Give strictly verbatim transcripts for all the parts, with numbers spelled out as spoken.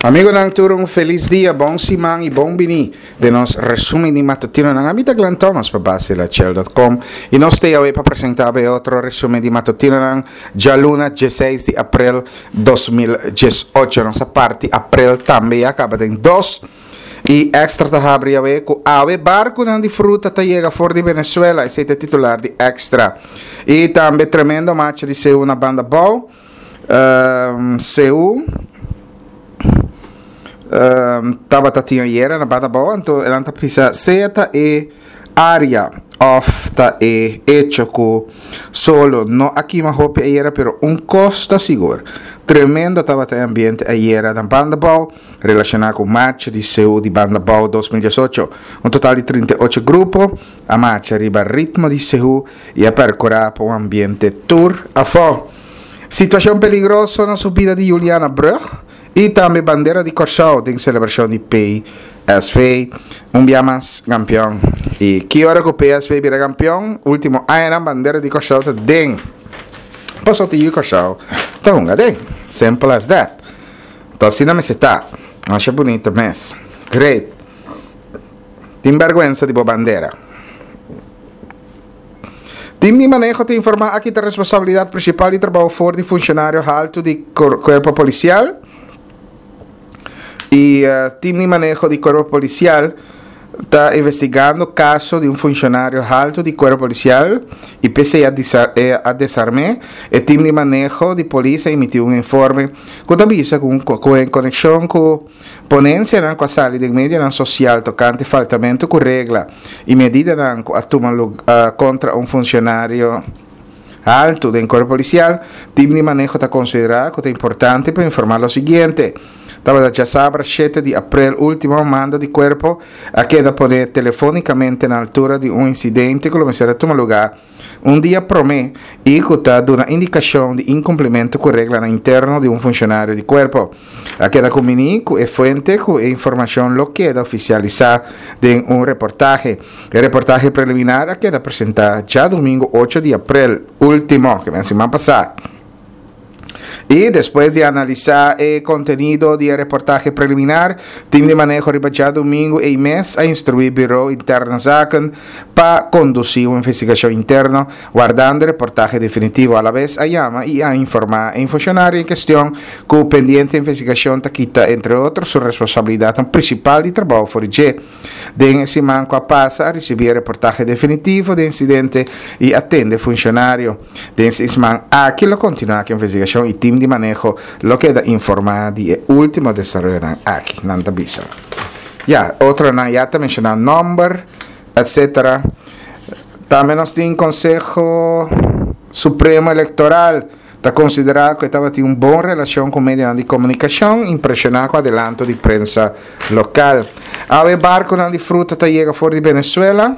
Amigonan tur un felis dia, bon siman y bon bini den nos resumen di matutinonan. Ami ta Glenn Thomas pa Basilachel dot com y nos ta awe pa presenta e otro resumen di matutinonan djaluna diesseis di april dos mil diesocho. Nos a parti april tambe ya caba den dos. Y Extra ta habri awe cu awe barconan di fruta ta yega for di Venezuela. Esey ta titular di Extra. Y tambe tremendo marcha di C U na Banda Bou. Ehm, C U, ehm, tabata tin ayera na Banda Bou, anto elan ta pisa sea ta e área of ta e hecho ku solo no aquí ma hopi ayera, pero un costa sigur. Tremendo tabata e ambiente ayera na Banda Bou, relacionado com marcha di C U di Banda Bou dos mil diesocho. Un total di trinta i ocho grupo a marcha riba ritmo di C U y a percura pa un ambiente tur afó. Situación peligroso na subida di Juliana Brug y tambe bandera di Kòrsou den celebración di P S V. Un dia mas campeón. Y ki ora ku P S V bira campeón? Último año bandera di Kòrsou ta den. Pasó ti Kòrsou ta hunga den. Simple as that. Entonces, asina me está. Masha bonito mes. Great. Tin vergüenza di bo bandera. Team di manejo te informa aquí ta responsabilidad principal di trabajo for di funcionario alto di cor-, cuerpo policial. Y, eh, team di manejo di cuerpo policial ta investigando caso di un funcionario alto di cuerpo policial y P C a disa-, eh, a desarmé. E team di manejo di policía emitió un informe que avisa con, con en conexión con ponencia nan cu sali den media nan social tocante faltamento cu regla y medida nan cu a tuma lu-, eh, contra un funcionario alto den cuerpo policial. Team di manejo ta considera que ta importante pa informar lo siguiente. Tabata djasabra siete di april último mando di cuerpo a queda poner telefónicamente na altura de un incidente que lo mester a tuma lugar un dia prome y que ta duna indicación de incumplimiento con regla na interno de un funcionario di cuerpo. A queda comuni cu e fuente cu e información lo queda oficializada den un reportaje. El reportaje preliminar a queda presentada ya domingo ocho de april último, que me semana pasada. Y después de analizar el contenido del reportaje preliminar, team de manejo riba djadomingo e mes a instruir Bureau Interne Zaken pa conducir una investigación interna, guardando el reportaje definitivo. A la vez a llama y a informar en funcionario en cuestión que pendiente investigación ta quita, entre otros, su responsabilidad principal de trabajo for I G. Den ese manco a pasa a recibir el reportaje definitivo de incidente y atende funcionario. Den ese man aquí lo continúa con investigación y team de manejo lo queda informado de último desarrollo aquí, nanta bisa. Ya, otro na ya te menciona nombre, etcétera. También nos tiene Consejo Supremo Electoral. Está considerado que estaba tiene una buena relación con medios de comunicación, impresionado con adelanto de prensa local. A ver, barco de fruta te llega fuera de Venezuela.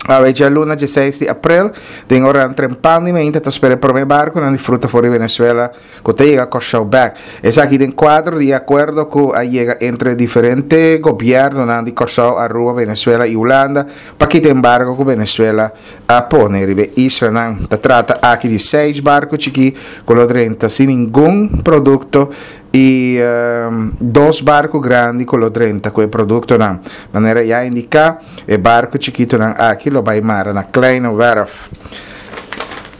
A ver, ya luna diesseis de april, den hora trempando e ainda tá esperando por meu barco na fruta fora de Venezuela, que te llega a back. Es aquí den cuadro de acuerdo que llega entre diferentes gobiernos na de Kòrsou, Aruba, Venezuela y Holanda, pa que embargo que Venezuela a poner e isla nan. Ta trata aqui de seis barcos chiqui con lo treinta sin ningún producto y, ehm, dos barcos grandes con lo treinta con el producto nan. Manera ya indica, el barco chiquito nan aquí lo va a mar na Kleine Werf.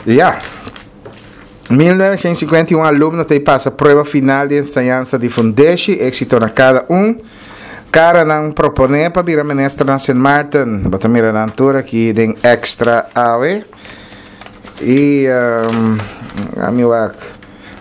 Ya. mil novecientos cincuenta y un alumno te pasa prueba final de enseñanza de Fundeshi, éxito na cada un. Cara nan propone pa bira ministra na Saint Martin. Bota mira na altura aquí den extra A W. Y, ehm, amigo,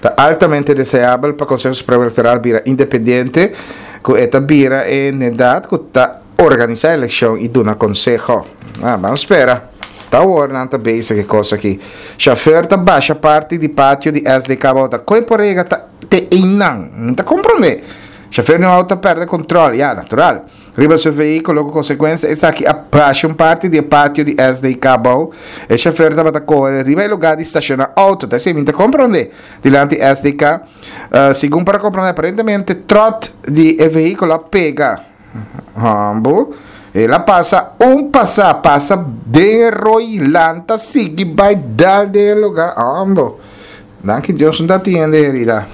ta altamente deseable pa Consejo Supremo Electoral bira independiente, ku eta bira en edad ku ta organiza elección y duna consejo. Ah, vamos espera. Ta awor nan ta bezig e cosa aki. Chauffeur ta basha parti di patio di S D K bota. Koi por ega ta te inang. No ta comprende. Chauffeur no auto perde control. Ja, natural. Riba su vehículo con consecuencia es aquí a basha un parti di patio di S D K bou. E chauffeur ta bata corre riba e lugar di estaciona auto. Ta si, mi ta comprende. Dilanti S D K. Eh, segun para comprender, aparentemente trot di e vehículo pega. Hambo. Ela passa un passa, passa de roi lanta sigi bai dal de lugar. Hambo. Danke Dios no tiene herida.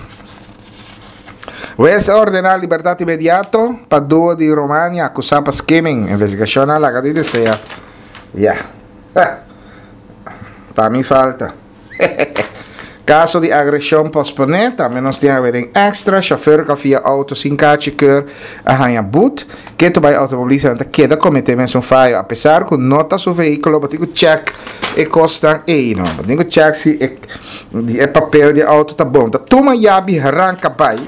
Hues a ordená libertat inmediato pa duo di Romania akusá pa skimming. Investigashon a laga di desea. Ya. Ta mi falta. Kaso di agreshon posponé, tambe nos tin awe den Extra, Shofùr ku a fia outo sin kachi keur a haña but, ketu bai outomobilistanan ta keda kometé mesun fayo apesar ku no ta su vehíkulo, bo tin ku chèk e kosnan ei no, bo tin ku chèk si e e papel di e outo ta bon, ta tuma yabi ranka bai,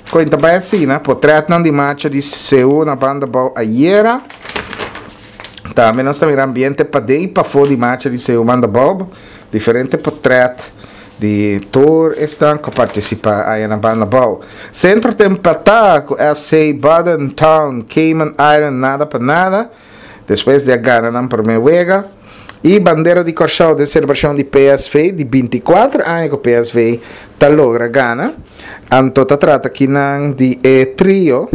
ku ta bai asina, potrètnan di marcha di Seú na banda bou ayera. Tambe nos ta mira ambiente paden i pafó di marcha di Seú banda bou, diferente potrèt di tur esnan ku a partisipá aya na banda bou. Centro ta empatá ku F C Baden Town Cayman Island nada pa nada despues di a gana nan promé wega. I bandera di Kòrsou den selebrashon di P S V di binti kuater aña ku P S V ta logra gana. Anto ta trata kinan di e trio,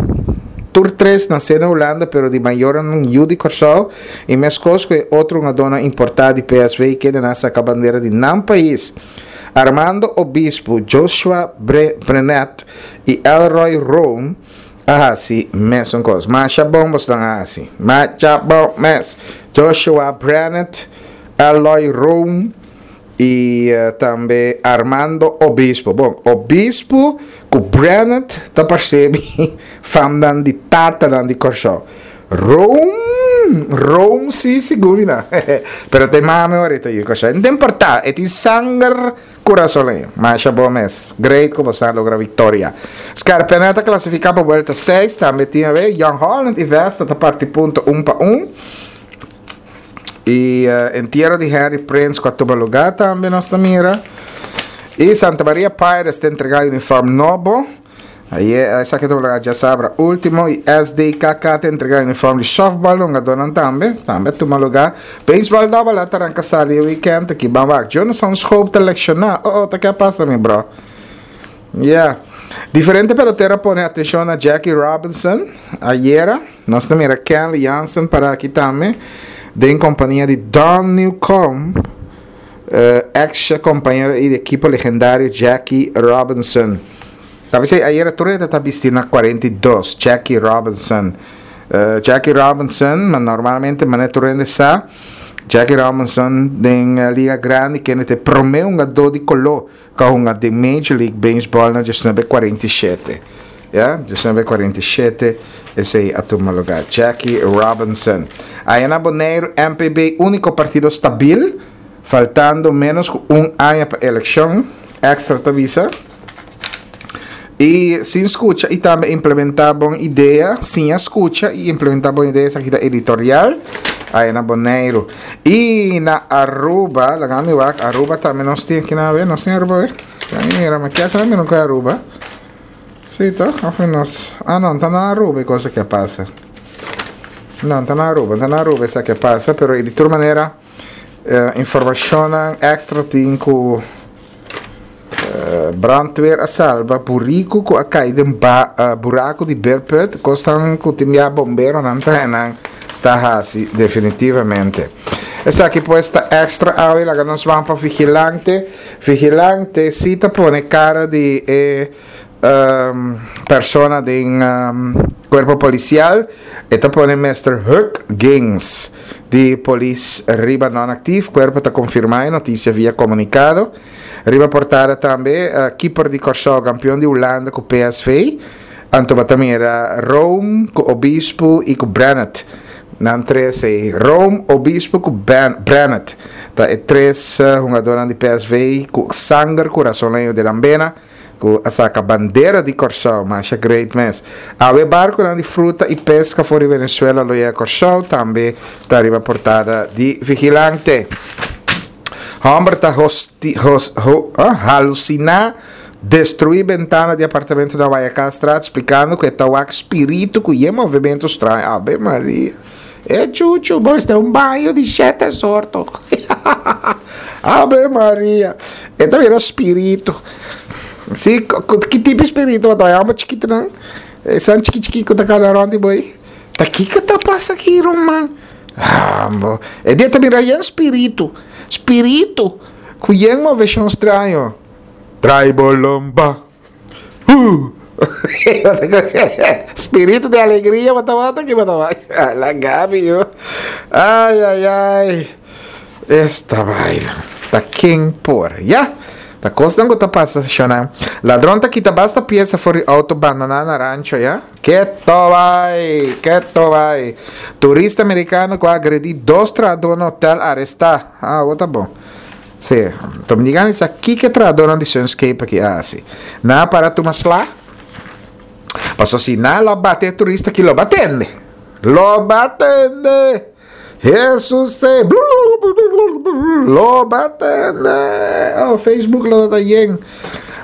tur tres nasé na Hulanda pero di mayornan yu di Kòrsou i meskos ku e otro hungadónan importá di P S V kende nan saka bandera di nan pais. Armando Obispo, Joshua Brenet i Elroy Room a hasi mesun kos. Masha bon bosnan a hasi. Masha bon mes. Joshua Brenet, Elroy Room i tambe Armando Obispo. Bon, Obispo ku Brenet ta parse mi famnan di tatanan di Kòrsou. Room, Room si sigur mi na. Pero te mame ahorita yu Kòrsou. No ta importá, e tin sanger kurasoleño. Masha bon mes. Great ku boso a logra viktoria. Scarpena ta klasifiká pa buelta seis, tambe tin awe Jong Holland i Vesta ta parti punto un pa un. I entiero di Henry Prince ku a tuma lugá tambe nos ta mira. I Santa Maria Pirates ta entregá uniform nobo. Aye esaki ta tuma lugá djasabra último. I S D K K ta entregá uniform di softball na hungadónan tambe. Tambe a tuma lugá. Baseball Double A ta ranka sali e weekend aki. Ban wak. Jonathan Schoop ta lekshoná. Oh, oh, ta ke a pasa mi bro? Ya. Diferente pelotero a pone atenshon na Jackie Robinson ayera. Nos ta mira Kenley Jansen para aki tambe den kompania di Don Newcombe, ex kompañero i di ekipo legendario Jackie Robinson. Ta bisa ayera tur hende ta bisti na kuarenta i dos, Jackie Robinson. Jackie Robinson, ma normalmente manera tur hende sa, Jackie Robinson den Liga Grandi kende ta e prome hungadó di koló ku a hunga den Major League Baseball na diesnuebe kuarenta i shete. Ya, diesnuebe kuarenta i shete esei a tuma lugá. Jackie Robinson. Aya na Boneiru, M P B úniko partido stabil, faltando ménos ku un aña pa elekshon, Extra ta bisa. I sin skucha i tambe implementá bon idea, siña skucha i implementá bon idea, esaki ta editorial. Aya na Boneiru. I na Aruba, laga mi wak, Aruba tambe nos tin aki na awe, nos tin Aruba awe? Laga mi mira, mi kier sabi mi no koe Aruba. Sí, toch? Of nos, ah no, ta na Aruba e cosa ke a pasa. No, ta na Aruba, ta na Aruba esaki a pasa, pero di tur manera, eh, informacionnan extra tin ku brandweer a salba buriku ku a kai den ba, eh, buraku di beerput, kosnan ku tin bia bomberonan ta nan ta hasi definitivamente. Esaki pues ta Extra awe, laga nos ban pa Vigilante. Vigilante si ta pone cara di e, um, persona den, um, cuerpo policial. E ta pone mister Huck Gings di polis riba non-actief. Cuerpo ta confirma e noticia via comunicado. Riba portada tambe, uh, keeper di Kòrsou, campeón di Hulanda ku P S V. Anto batamira Rome ku Obispo i ku Brenet. Nan tres e Rome, Obispo ku Ben-, Brenet. Ta e tres, uh, jugadornan di P S V ku sanger kurasoleño de Lambena, ku a saka bandera di Kòrsou, masha great mes. Awe barconan di fruta i pesca for di Venezuela lo yega Kòrsou, tambe ta riba portada di Vigilante. Homber ta hosti, hos, ho, ah, haluciná, destruí bentana di apartamento na Guayacastraat, explicando que ta wak spiritu ku ye movimento straño. Ave Maria. E chuchu, bo este un baño di siete sorto. Ave Maria. E ta mira spiritu. Sí, ko, ko, ki tipo spiritu ba ta? Amo chiquito nan. E san chiqui chiqui ku ta kana rondi boy. Ta kiko ta pasa aki, Roman? Ambo. E dia ta mira yen spiritu. Spiritu. Ku yen moveshon straño. Trai bolomba. Uh. Spiritu di alegria, bo tabata ki bo tabata. La Gabi yo. Ai ai ai. Esta vaina. Ta ken por. Ya. Ta kosnan ku ta pasa shona. Ladron ta kita basta piesa for di auto bandoná na rancho ya. Keto bai. Keto bai. Turista amerikano ku a agredí dos trahadó na hotel arestá. Ah, bo ta bon. Sí. Dominicano sa kiko e trahadónan di Sunscape aki a hasi. Nan a para tuma sla. Paso si nan lo bate e turista aki lo batende. Lo batende. Jesus te. Lo batende. Oh, Facebook lo ta yen.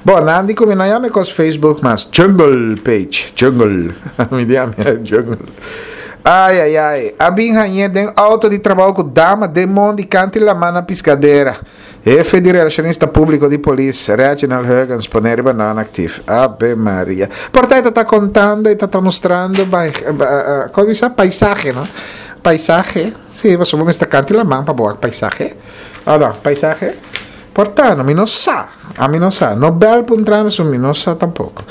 Bon, nan di ku mi no yama e kos Facebook mas Jungle page. Jungle. Mi di ami Jungle. Ai ai ai. A bin hañ'é den auto di trabou ku dama den mondi kanti laman na Piscadera. Hefe di Relacionista Público di Polis, Reginald Huggins, pone riba non-actief. Ave Maria. Por ta e ta ta contando, e ta ta mostrando, kon bisa? Paisahe, no? Paisahe. Sí, pasobra bo mester kanti laman pa bo wak paisahe. O no? Paisahe? Por ta, no, mi no sa. Ami no sa. No bel puntra mi, so mi no sa tampoco.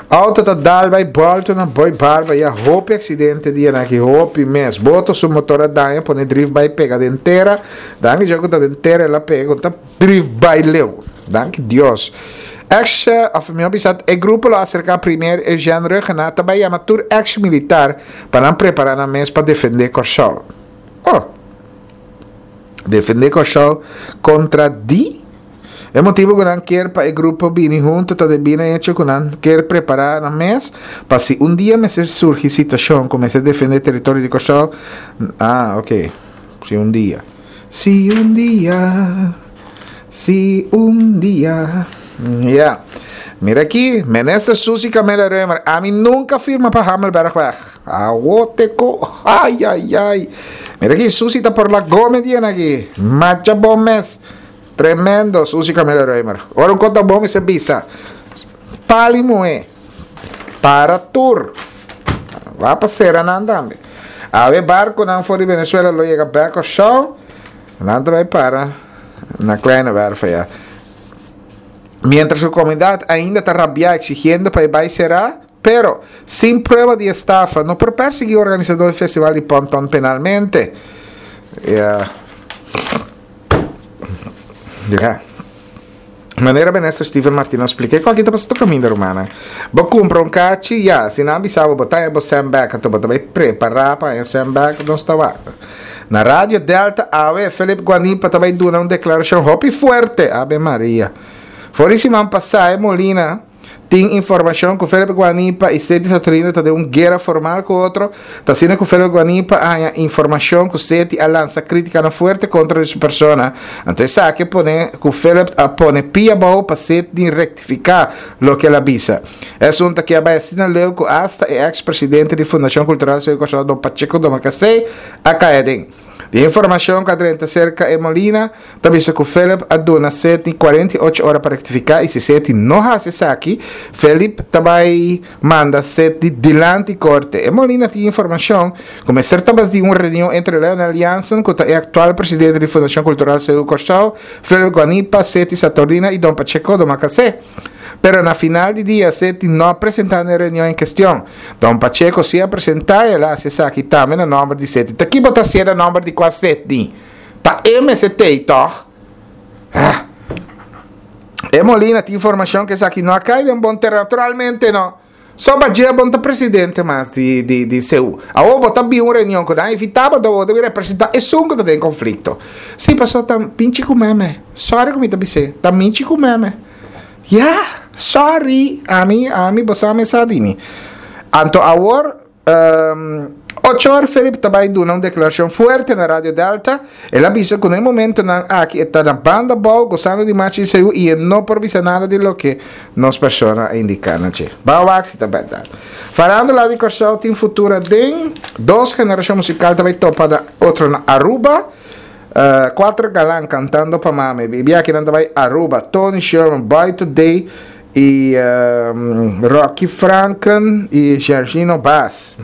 Auto ta dal bai bolto na Boy Barba ya hopi accidente dianan aki, hopi mes. Boto su motor a daña pone drift bai pega den tera. Danki Dios cu ta den tera el a pega cu ta drift bai leu. Danki Dios. Ex, of mihor bisa, e grupo lo acerca Premier Eugène Rhuggenaath ta bai yama tur ex militar pa nan prepara nan mes pa defende Kòrsou. Oh! Defendé Kòrsou kontra di. E motibu ku nan kier pa e grupo bini huntu ta debí na echo ku nan kier prepará nan mes pa si un dia mester surgi situashon ku mester defendé teritorio di Kòrsou, ah ok, si un dia. Si un dia, si un dia, ya. Mira aki, Minister Suzy Camelia Römer, ami nunka firma pa Hamelbergweg. Awo te ko, ay ay ay. Mira aki, Suzy ta por la gome dian aki. Macha bon mes. Tremendo, Suzy Camelia Römer. Ora un kos ta bon mi se bisa. Pali muhé. Para tur. Wa pa sera nan tambe. Awe barkonan for di Venezuela lo yega bek Kòrsou. Nan ta bai para na Kleine Werf aya. Mientras ku komunidat ainda ta rabiá eksigiendo pa e bai será, pero sin prueba di estafa no por persiguí organisadó di festival di Ponton penalmente. Ya. Ya. Manera Minister Steven Martina a splika, e ku aki ta pasa tur kaminda rumannan. Bo kumpra un kachi, ya, si nan bisa bo bo ta haña bo sèn bèk, anto bo ta bai prepará pa haña sèn bèk, nos ta wak. Na Radio Delta awe, Philip Guanipa ta bai duna un deklarashon hopi fuerte, Ave Maria. For di siman pasá e Molina tin informashon ku Philip Guanipa i Seti Saturnino ta den un guera formal ku otro. Ta asina ku Philip Guanipa a haña informashon ku Seti a lansa krítikanan fuerte kontra di su persona. Anto esaki a pone ku Philip a pone pia abou pa Seti rektifiká loke el a bisa. E asuntu aki a bai asina leu ku asta e eks presidente di Fundashon Kultural Seú Kòrsou Don Pacheco Domacassé a kai aden. Di informashon ku a drenta serka e Molina, ta bisa ku Philip a duna Setni kuarenta i ocho ora pa rektifiká i si Setni no hasi esaki, Philip ta bai manda Setni dilanti korte. E Molina tin informashon ku mester tabatin un reunion entre Leonel Jansen, ku ta e aktual presidente di Fundashon Kultural Seú Kòrsou, Philip Guanipa, Setni Saturnina i Don Pacheco Domacassé. Pero na final di dia Setni no a presentá na e reunion en kestion. Don Pacheco si a presentá i el a hasi esaki tambe na nòmber di Setni. Ta ki bo ta hasié na nòmber di kua Setni? Ta e mester t'ei tòg? Ah! E Molina tin informashon ku esaki no a kai den bon tereno. Naturalmente no. So Bajé bon ta presidente mas di di di C U. Awor bo ta bin un reunion ku nan a invitá bo, bo ta bin representá esun ku ta den konflikto. Si, pasobra ta pinchi ku meme. Sòri ku mi ta bis'é. Ta minchi ku meme. Ya, sorry, ami, ami, bo sa mi sa di mi. Anto awor, um, ocho or Philip ta bai duna un declaracion fuerte na Radio Delta. El a bisa cu na e momentonan aki e ta na banda bou, gozando di machi di C U y e no por bisa nada di loke nos persona a indica na dje. Ba wak si ta berdad. Farándula di Kòrsou tin futura den dos generacion musical ta bai topa na otro na Aruba. Uh, cuatro galan cantando pa mami. Bibi aki nan ta bai Aruba. Tony Sherman, Boy Today y um, Rocky Franken y Sergino Bass.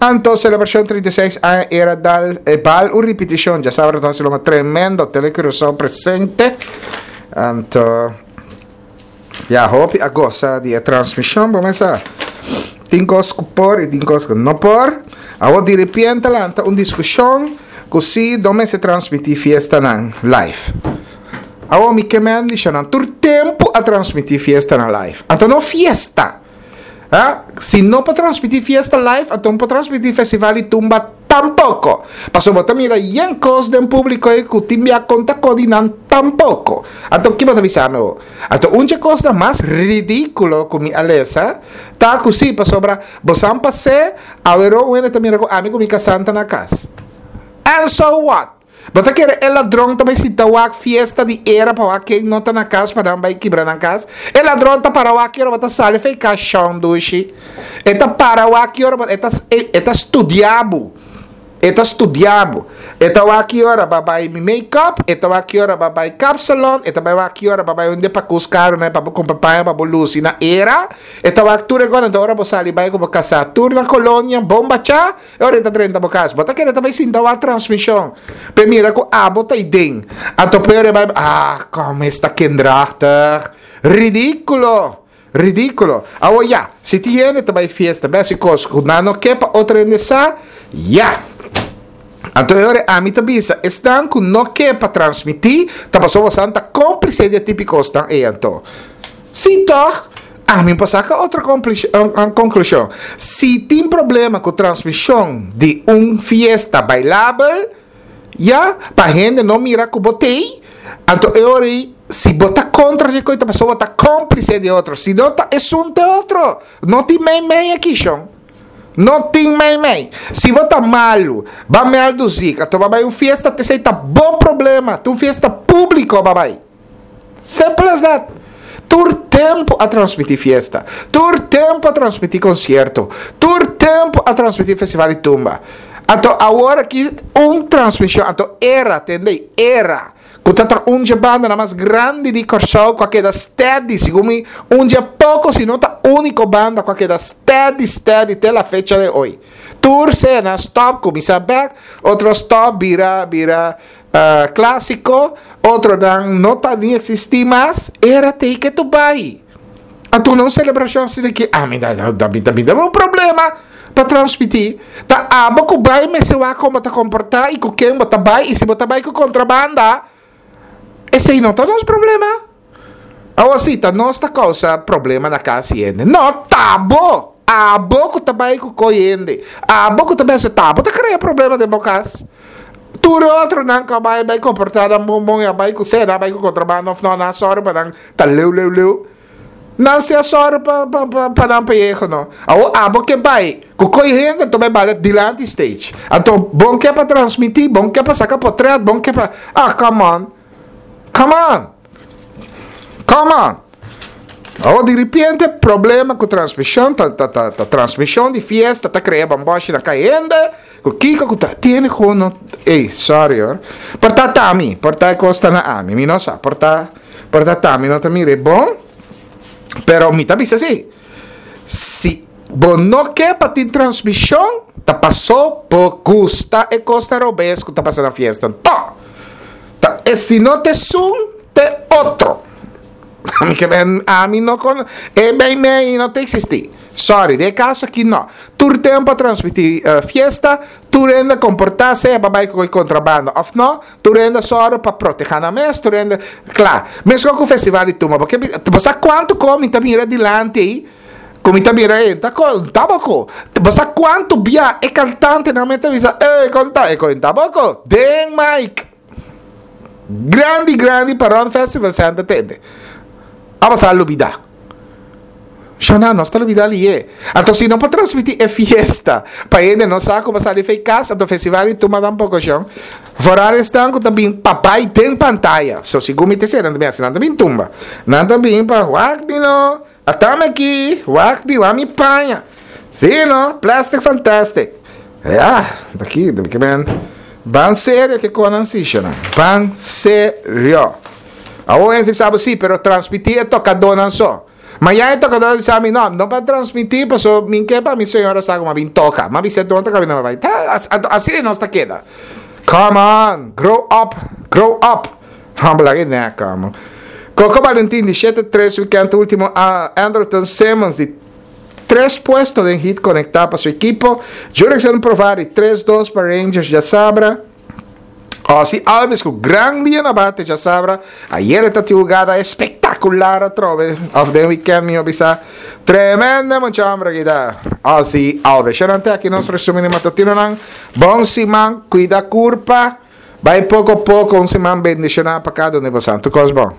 Anto celebracion trinta i seis aña era dal e bal un ripeticion. Ya sabra ta lo tremendo. Tele Curaçao presente. Anto Ya, hopi a gosa di e transmishon, bo mesa. Tin kos ku por i tin kos ku no por. Awor di repente lanta un diskushon ku si no mester transmití fiestanan live. Awor mi ke men di nan tur tempu a transmití fiestanan live. Anto no fiesta. Ah, si no por transmití fiesta live, anto no por transmití festival di tumba tampoko. Paso bo ta mira yen kos den públiko ei ku tin bia konta kodi nan tampoko. Anto ki bo ta bisa mi awor? Anto un dje kosnan mas ridíkulo ku mi a lesa ta ku si pasobra bo san pas'é awero un hende ta mira ku ami ku mi kasá ta na kas. And so what? Bo ta kere e ladron ta bai sinta wak fiesta di era pa wak ken no ta na kas pa nan bai kibra nan kas? E ladron ta para wak ki ora bo ta sali fei kas shon dushi. E ta para wak ki ora bo e ta e ta studia bo. E ta studia bo. E ta wak ki ora bo a bai mi make up, e ta wak ki ora bo a bai kapsalon, e ta bai wak ki ora bo a bai un depakus karu nan pa bo kumpra paña pa bo lusi na era. E ta wak tur e kos anto ora bo sali bai ku bo kasá tur na kolonia bon bachá. E ora e ta drenta bo kas, bo ta kere ta bai sinta wak transmishon p'e mira ku abo ta ei den. Anto p'e ora e bai, ah, kom esta kinderachtig. Ridíkulo! Ridíkulo! Awor ya, si tin hende ta bai fiesta bes i kos ku nan no ke pa otro hende sa, ya! Anto e ora ami ta bisa, esnan ku no ke pa transmití, ta pasobra bosan ta kómplise di e tipo kosnan ei anto. Sí tòg? Ami por saka otro konklushon. Si tin problema ku transmishon di un fiesta bailabel, ya, pa hende no mira ku bo t'ei, anto e ora ei si bo ta kontra dje kos ta pasobra bo ta kómplise di e otro. Si no ta esun ta e otro. No tin mei mei aki shon. No tin mei mei. Si bo ta malu, ba mèldu zik, anto bo a bai un fiesta, t'esei ta bo problema. Ta un fiesta públiko bo a bai. Simple as that. Tur tempu a transmití fiesta. Tur tempu a transmití konsierto. Tur tempu a transmití festival di tumba. Anto awor aki un transmishon, anto era, tende, era, ku ta ta un dje bandanan mas grandi di Kòrsou ku a keda steady, segun mi un dje poko si no ta úniko banda ku a keda steady steady te la fecha de hoy. Tur sena stòp kuminsá bèk, otro stòp bira bira Clásico, otronan no ta ni existi mas, era tei ke tu bai. Anto na un celebracion asina ki ami ta ta mi ta mi ta un problema pa transmiti. Ta abo ku bai mester wak kon bo ta comporta y ku ken bo ta bai y si bo ta bai ku contrabanda esei no ta nos problema. Awor si ta nos ta causa problema na cas y hende. No ta bo! Abo ku ta bai ku koy hende, abo ku ta bai hasi ta abo ta crea problema den bo cas. Tur e otronan ku a bai bai komportá nan bon bon i a bai ku sea nan a bai ku kontrabanda òf no, nan a sòru pa nan ta leu leu leu. Nan si a sòru pa pa pa pa nan peyeho no. Awor abo ke bai ku koe hende anto bai bala dilanti stage. Anto bon ke pa transmití, bon ke pa saka potrèt, bon ke pa ah come on. Come on. Come on. Awor di ripiente problema ku transmishon ta ta ta ta transmishon di fiesta ta krea bambòshi na kai hende. Ku kiko ku ta tiene ku no ey sorry hoor por ta ta mi por ta e kos ta na ami mi no sa por ta por ta ta mi no ta mira e bon pero mi ta bisa si si bo no ke pa tin transmishon ta paso bo gusta e kos ta robes ku ta pasa na fiesta to ta e si no ta esun ta e otro ami ke ami no kono e bay mey no ta existi. Sorry, den e kaso aki no. Tur tempu a transmití fiesta, tur hende a komportá sea pa bai ku e kontrabanda òf no, tur hende a sòru pa protehá nan mes, tur hende, kla. Meskos ku festival di tumba, bo ke bisa, bo sa kuantu kos mi ta mira dilanti ei, ku mi ta mira ei, ta ko, tabako. Bo sa kuantu bia e kantantenan mes ta bisa, ey, kon ta, e kon tabako, den mic. Grandi, grandi pa Ron Festival Center tende. Abo sa lubida. Shona, nos ta lubida lié. Anto si no por transmiti e fiesta pa hende no sa ku bo sali fei kas, anto festival di tumba tampoko shon. Vooral esnan ku ta bin pa bai den pantaya. So segun mi ta esei nan ta bin hasi, nan ta bin tumba. Nan ta bin pa wak mi no, atame aki, wak mi, wak mi paña. Si no, plastic fantastic. Ya, ta ki, ta ki men. Ban serio ke konan si shona. Ban serio. Awor hende ta bisa bo si, pero transmiti e tokadónan so. Mañana e tokadó a bisa mi, no, no pa transmití, paso mi ke pa mi señora sa ku mi a bin toka. Mi a bisa don ta kabina mi bai. Ta, asina nos ta keda. Come on, grow up, grow up. Humble lagi nèk amo. Coco Valentin di shete tres weekend ultimo, a Andrelton Simmons di tres puesto den hit conecta pa su ekipo. Jurickson Profar di tres dos pa Rangers djasabra. Ozzie Albies ku gran dia na bate djasabra. Ayera ta tin hugada espectacular atrobe. Of den weekend mi bisa. Tremendo mucha hombre aki ta. Ozzie Albies. Sharon te aki nos resumen di matutinonan. Bon siman, cuida curpa. Bai poco poco, un siman bendiciona pa cada un di boso. Tur cos bon.